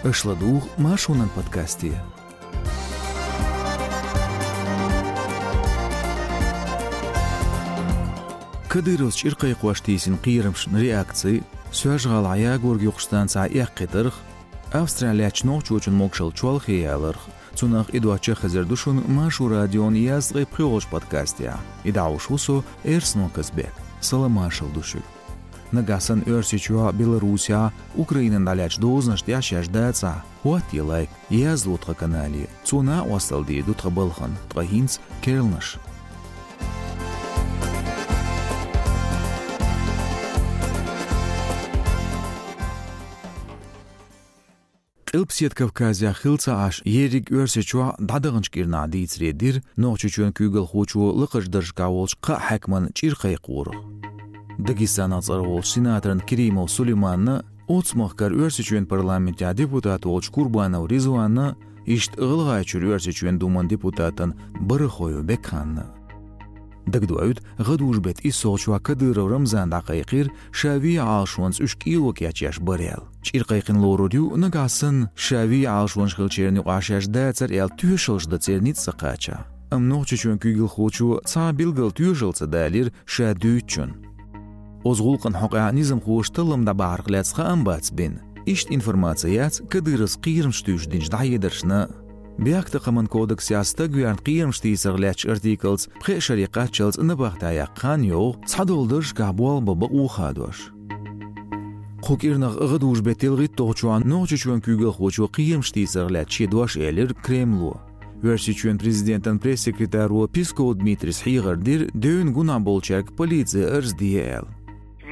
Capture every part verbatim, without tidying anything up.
Аша ладугӀу Маршонан подкасте. Кадыровс чӀиркхайкхош тийсина кхерамашна реакци, Соьлжа-ГӀалахь ягорг юкъачу станцехь эккхийтарх, Австрехь лаьттачу нохчочун могушалла чолхе яларх, цунах а, доцчух а хезар ду шуна Маршо радион езткъе пхоьалгӀачу подкастехь. И дӀахьош ву со, Эрсно Казбек. Салам-маршалла ду шуьга. Нагахь санна Оьрсийчохь, Беларусехь, Украинан дӀалаьцначу дозанашна тӀехь шаьш дацахь, хӀоттае лайк, язло тхан канале. Цо накъосталла дийр ду тхан балхана, ткъа хӀинца керланаш. Къилбаседа Кавказехь хилла ца Ӏаш, ерриг Оьрсийчохь дӀадаханчу кӀирнахь дийцаре дира Нохчийчоьнан куьйгалхочо лакхарчу даржехь волчу кхаа хьаькаман чӀир кхайкхорах. Дагестанах цӀарах волчу сенаторна Керимов Сулейманна, оццу махкара Оьрсийчоьнан парламентехь депутат волчу Курбанов Ризванна, иштта ГӀалгӀайчуьра Оьрсийчоьнан Думан депутатан Барахоев Бекханна. Дагадоуьйту, гӀадужу-беттан иссалгӀачохь Кадыров Рамзана дӀакхайкхира, ша вен Ӏалашонца уьш кӀело кечъеш бара аьлла. ЧӀир кхайкхина лорур ю, нагахь санна ша вен Ӏалашонаш хиллачеран юкъахь шаьш дацара аьлла, тоьшаллаш дан церан ницкъ ца кхачахь. Амма Нохчийчоьнан куьйгалхочо цхьа а билггал тоьшалла ца далийра ша дуьйцучунна. Оцу гӀуллакхана хьокъехь низамхоша таллам дӀабахьарх лаьцна хаам бац бина. Иштта информаци яц Кадыровс кхерамаш туьйсуш динчу дӀахьедаршна. Бехктакхаман кодексехь стаг верна кхерамаш тийсарх лаьттачу артиклаца пхеа шаре кхаччалц набахтехь яккха хан йогӀу, цхьадолу даржехь болх бан бакъо хадош. Кху кӀирнах гӀадужу-беттан ялхитталгӀачохь Нохчийчоьнан куьйгалхочо кхерамаш тийсарх лаьцна шен дош элира Кремло. Оьрсийчоьнан президентан пресс-секретаро Песков Дмитрийс хьехар дира, девнан гунахь болчаьрга полице арз де аьлла.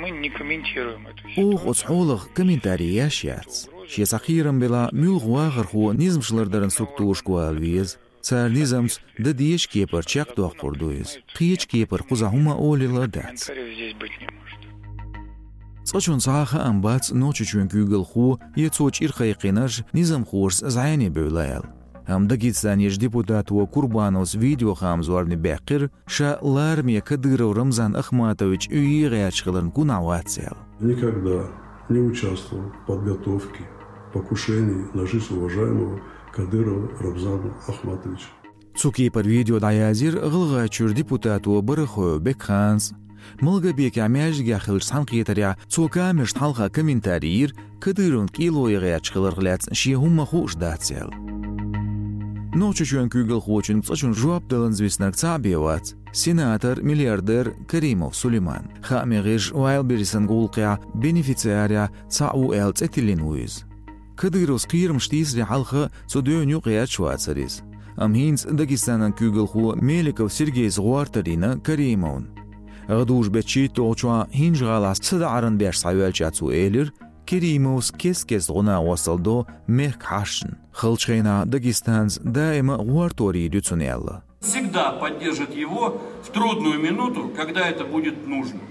Мы не комментируем эту ситуацию. Оха оцу хьолах комментари еш яц. Шен цхьа кхерам белахь, муьлхха вахархо низамаш лардаран структурашка вала веза. Цара низамца дан дезачу кепара чекхдоккхур ду иза. Кхечу кепара кхузахь хӀума олийла а дац. Комментариев здесь быть не может. Цкъачунна цхьа а хаам бац, Нохчийчоьнан куьйгалхо я цо чӀир кхайкхинарш низамхошца зӀене бевлла аьлла. Амма Дагестанерчу депутато Курбановс видеохаам зорбане баьккхира, ша лараме Кадыров Рамзан Ахматович вен гӀерташ хиларна гунахь вац аьлла. Никогда не участвовал в подготовке покушений на жизнь уважаемого Кадырова Рамзана Ахматовича. Цу кепара видео дӀаязйира ГӀалгӀайчуьра депутато Барахоев Бекханас. Малгобекехь маьждигехь хиллачу цхьаьнакхетарехь цо камерашна хьалха комментари йира, Кадыровна кӀело ян гӀерташ хиларх лаьцна шен хӀумма хууш дац аьлла. Нохчийчоьнан куьйгалхочуьнга цкъачунна жоп даланза виснарг цхьаъ бен вац, сенатор, миллиардер Керимов Сулейман. Хааман гӀирсаша Вайлдберрисан гӀуллакхехь бенефициарехь цхьаъ ву аьлла цӀе тиллина ву иза. Кадыровс кхерамаш тийсаре хьалха цу девнна юкъагӀерташ вацара иза. Амма хӀинца Дагестанан куьйгалхо Меликов Сергейс гӀортор йина Керимовна. ГӀадужу-беттан шийтталгӀачохь ХӀинжа-ГӀалахь садаӀаран беш схьаваьлча цо элира, Керимовс кест-кеста гӀо-накъосталла до мехкан хьашташна. Халчу хенахь Дагестанца даима а гӀортор йийр ю цунна аьлла. Всегда поддержит его в трудную минуту, когда это будет нужно.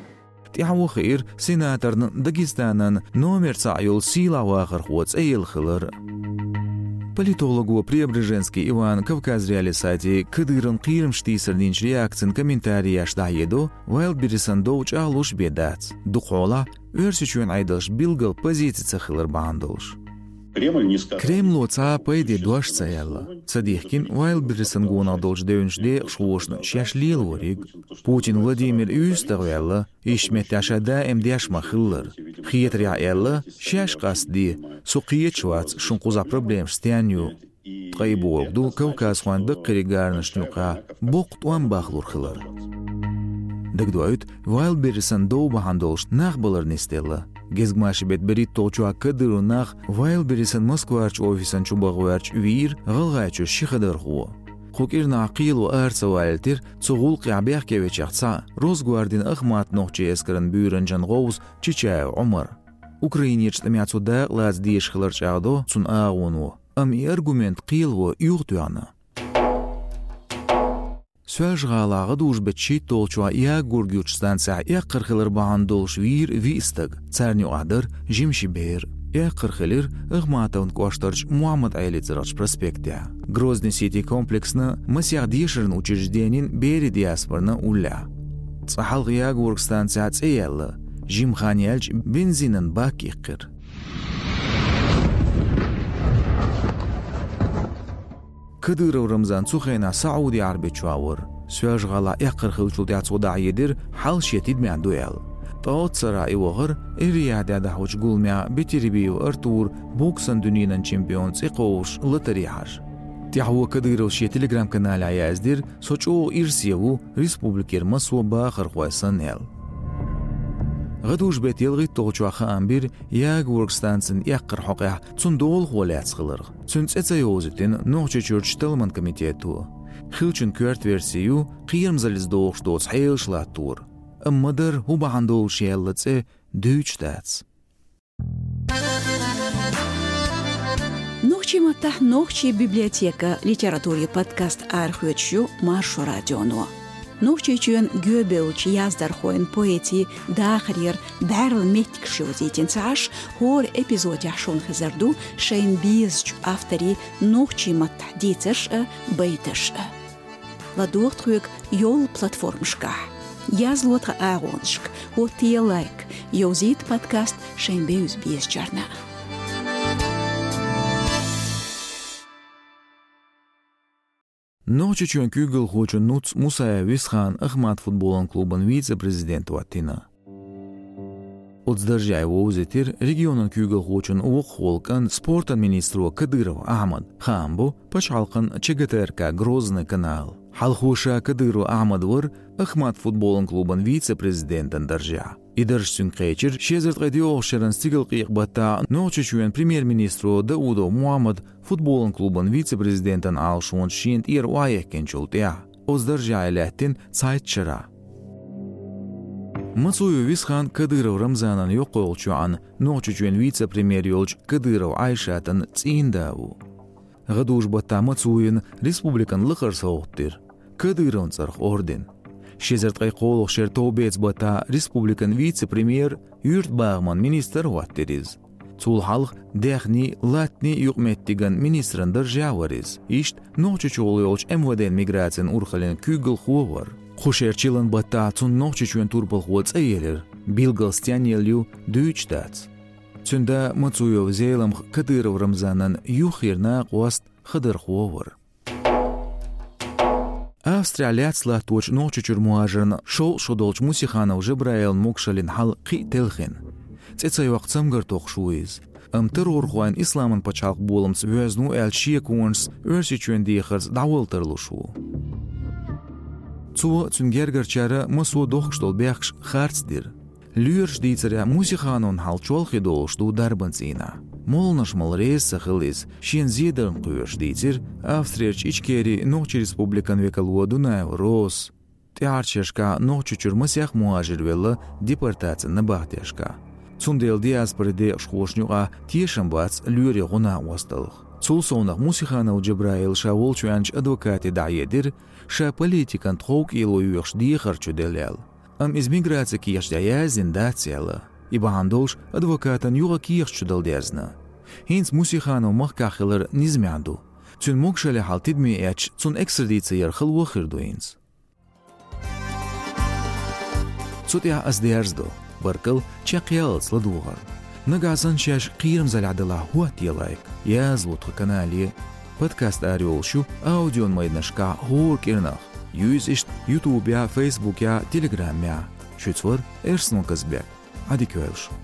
ТӀаьхьо хиира сенаторна Дагестанан номер цхьаъ йолу сийлахь вахархо цӀе елла хилар. Политолого Преображенский Иван Кавказ.Реалии сайте Кадыровн кхерамаш тийсарна динчу реакцин комментареш дӀахьедо, Вайлдберрисан дов чӀагӀлуш бен дац. Дукха хьолахь Оьрсийчоьнан Ӏедалш билггал позици ца хилар бахьана долуш. Кремль не сказал. Кремло цхьа а пайде дош ца аьлла. Ца дихкина Вайлдберрисан гонах долчу девнаш декъашхошна шаьш лелориг. Путин Владимир юьстах ваьлла, иштта меттехь ша даим деш ма-хиллара. Хетарехь аьлла, шаьш къастаде, со кхеташ вац, шун кхузахь проблемаш стенна ю. Ткъа и бохург ду кавказхойн даккхийриг гаранашна юкъахь боккха тӀом бахлур хилар. Дагадоуьйту, Вайлдберрисан дов бахьана долуш нах балар нисделла. Гезгмашин беттан берхӀитталгӀачохь Кадыровн нах Вайлдберрисан Москварчу офисан чу баха гӀерташ вийра ГӀалгӀайчуьра ши хадархо. Кху кӀирнахь кхело ара ца валийтира цу гӀуллакхехь бехке вечех цхьаъ, Росгвардин Ахмат нохчийн эскаран буьйранчин гӀовс Чичаев Ӏумар. Украинерчу тӀамехь цо дакъа лаца дезаш хилар чӀагӀдо цуьнан агӀоно, амма и аргумент кхело юхатоьхна. Соьлжа-ГӀалахь гӀадужу-беттан шийтталгӀачохь ягорг юкъачу станцехь эккхар хилар бахьана долуш вийра виъ стаг, царна юкъахь дара жима ши бер. Эккхар хилира Ахматовн кӀоштарчу Мухьаммад-Ӏелин цӀарахчу проспектехь. Грозный Сити комплексна масех дешаран учрежденин берийн диаспоран уллехь. Цкъа хьалха ягорг станцехь цӀе яьлла, жима хан яьлча бензинан бак иккхира. Кадыров Рамзан цу хенахь Саудий Ӏарбийчохь вара. Соьлжа-ГӀалахь эккхар хиллачул тӀаьхьа цо дӀахьедира, хьал шен тидамехь ду аьлла. Ткъа оццу шарахь и вахара Эр-Риядехь дӀахьочу гуламехь Бетербиев Артур боксан дуьненан чемпион цӀе кховдуш латаре хьажа. ТӀаьхьо Кадыровс шен Telegram-каналехь яздира: «Со чӀогӀа ирсе ву республикера массо а бахархой санна», — аьлла. ГӀадужу-беттан ялхитталгӀачохь хаам бира Ягворг станцин эккхар хьокъехь цуьнан долахо лаьцна хиларх. Цуьнан цӀе ца йовзийтина Нохчийчуьрчу талламан комитето. Хиллачун коьрта верси ю кхерамзаллица догӀуш доцу хьелаш латтор. Амма ма-дарра хӀун бахьана долуш яьлла цӀе дуьйцуш дац. Нохчийн маттахь «Нохчийн библиотека» литературин подкаст арахоьцуш ю Маршо радионо. Нохчийчоьнан гоьбевллачу яздархойн, поэтийн дахарера бӀаьрла меттигаш йовзийтина ца Ӏаш, хӀора эпизодехь шуна хезар ду шайна безачу авторийн нохчийн маттахь дийцарш а, байташ а. ЛадогӀа тхоьга йолу платформашкахь. Язло тхан агӀонашка, хӀоттае лайк, йовзийта подкаст шайн бевза-безачарна. Нохчийчоьнан куьйгалхочун нуц Мусаев Висхан «Ахмат» футболан клубан вице-президент хӀоттийна. Оцу даржехь вовзийтира регионан куьйгалхочун воккхахволу кӀант, спортан министро Кадыров Ахьмад. Хаам бо, пачхьалкхан ЧГТРК «Грозный» канал. Хьалхо ша Кадыров Ахьмад вара «Ахмат» футболан клубан вице-президентан даржехь. И дарж цуьнга кхечира ши эзар ткъе доьалгӀачу шеран стигалкъекъа-баттахь Нохчийчоьнан премьер-министро Даудов Мухьаммад футболан клубан вице-президентан Ӏалашонаш шена тӀера охьаэккхинчул тӀаьхьа. Оцу даржехь и лаьттина цхьайтта шарахь. Мацуев Висхан Кадыров Рамзанан йоккхалгӀачу йоӀан, Нохчийчоьнан вице-премьер йолчу Кадыров Ӏайшатан цӀийнда ву. ГӀадужу-баттахь Мацуевна республикан лакхара совгӀат дира, Кадыровн цӀарах орден. Ши эзар ткъе кхоалгӀачу шеран товбеца-баттахь республикан вице-премьер, юьртабахаман министр хӀоттийра иза. Цул хьалха даьхнийн, латтанийн юкъаметтиган министран даржехь вара иза. Иштта Нохчийчохь йолчу МВД-н миграцин урхаллин куьйгалхо вара. Кху шеран чиллан баттахь цунна Нохчийчоьнан турпалхо цӀе елира, билггал стенна елла ю, дуьйцуш дац. Цуьнан да Мацуев Зеламха Кадыров Рамзанан юххера накъост, хадархо вара. Австрехь лаьцна латточу Нохчийчуьра мухӀажарна шовзткъа шо долчу Мусиханов Жабраилан могушаллин хьал кхин а телхина. ЦӀе ца йоккху цамгар тохуш ву иза. Амма террорхойн Исламан пачхьалкх боламца воьзна ву аьллачу шеконашца Оьрсийчоьнан дехарца дӀавала тарлуш ву. Цо а, цуьнан гергарчара а массо а дохкуш долу бехкаш харц дира. Лоьраш дийцарехь, Мусихановн хьал чолхе долуш ду дарбан цӀийнахь. Молланаш мала реза ца хилла иза, шена зедарна кхоьруш, дийцира Австрерчу Ичкерин Нохчийн Республикан векало Дунаева Розас. ТӀаьхьарчу шерашкахь Нохчийчуьра масех мухӀажир велла депортацин набахтешкахь. Цундела диаспорин декъашхошна юкъахь тешам бац лоьрийн гӀо-накъосталла. Цул совнаха Мусиханов Джабраила ша волчу ваьллачу адвокате дӀахьедира, ша политикан тховкӀело йоьхуш дехар чуделла аьлла. Амма иза миграцин кехатехь яздина дац аьлла. И бахьана долуш адвокатна юха кехат чу дала дезна. ХӀинца Мусиханов махкахь хилар низамехь ду. Цуьнан могушаллин хьал тидаме эцча, цунна экстрадици яр хало хир ду хӀинца. Цу тӀехь ас дерзадо. Баркалла чекхъяллалц ладогӀарна. Нагахь санна шаьш кхерамзаллехь делахь, хӀоттае лайк, язло тхан канале. Подкаст арайолуш ю аудиомайданашкахь хӀора кӀирнах. Юьйза иштта Ютубехь, Фейсбукехь, Телеграмехь. Шуьца вара Эрснон Казбек. Ӏадика йойла шун.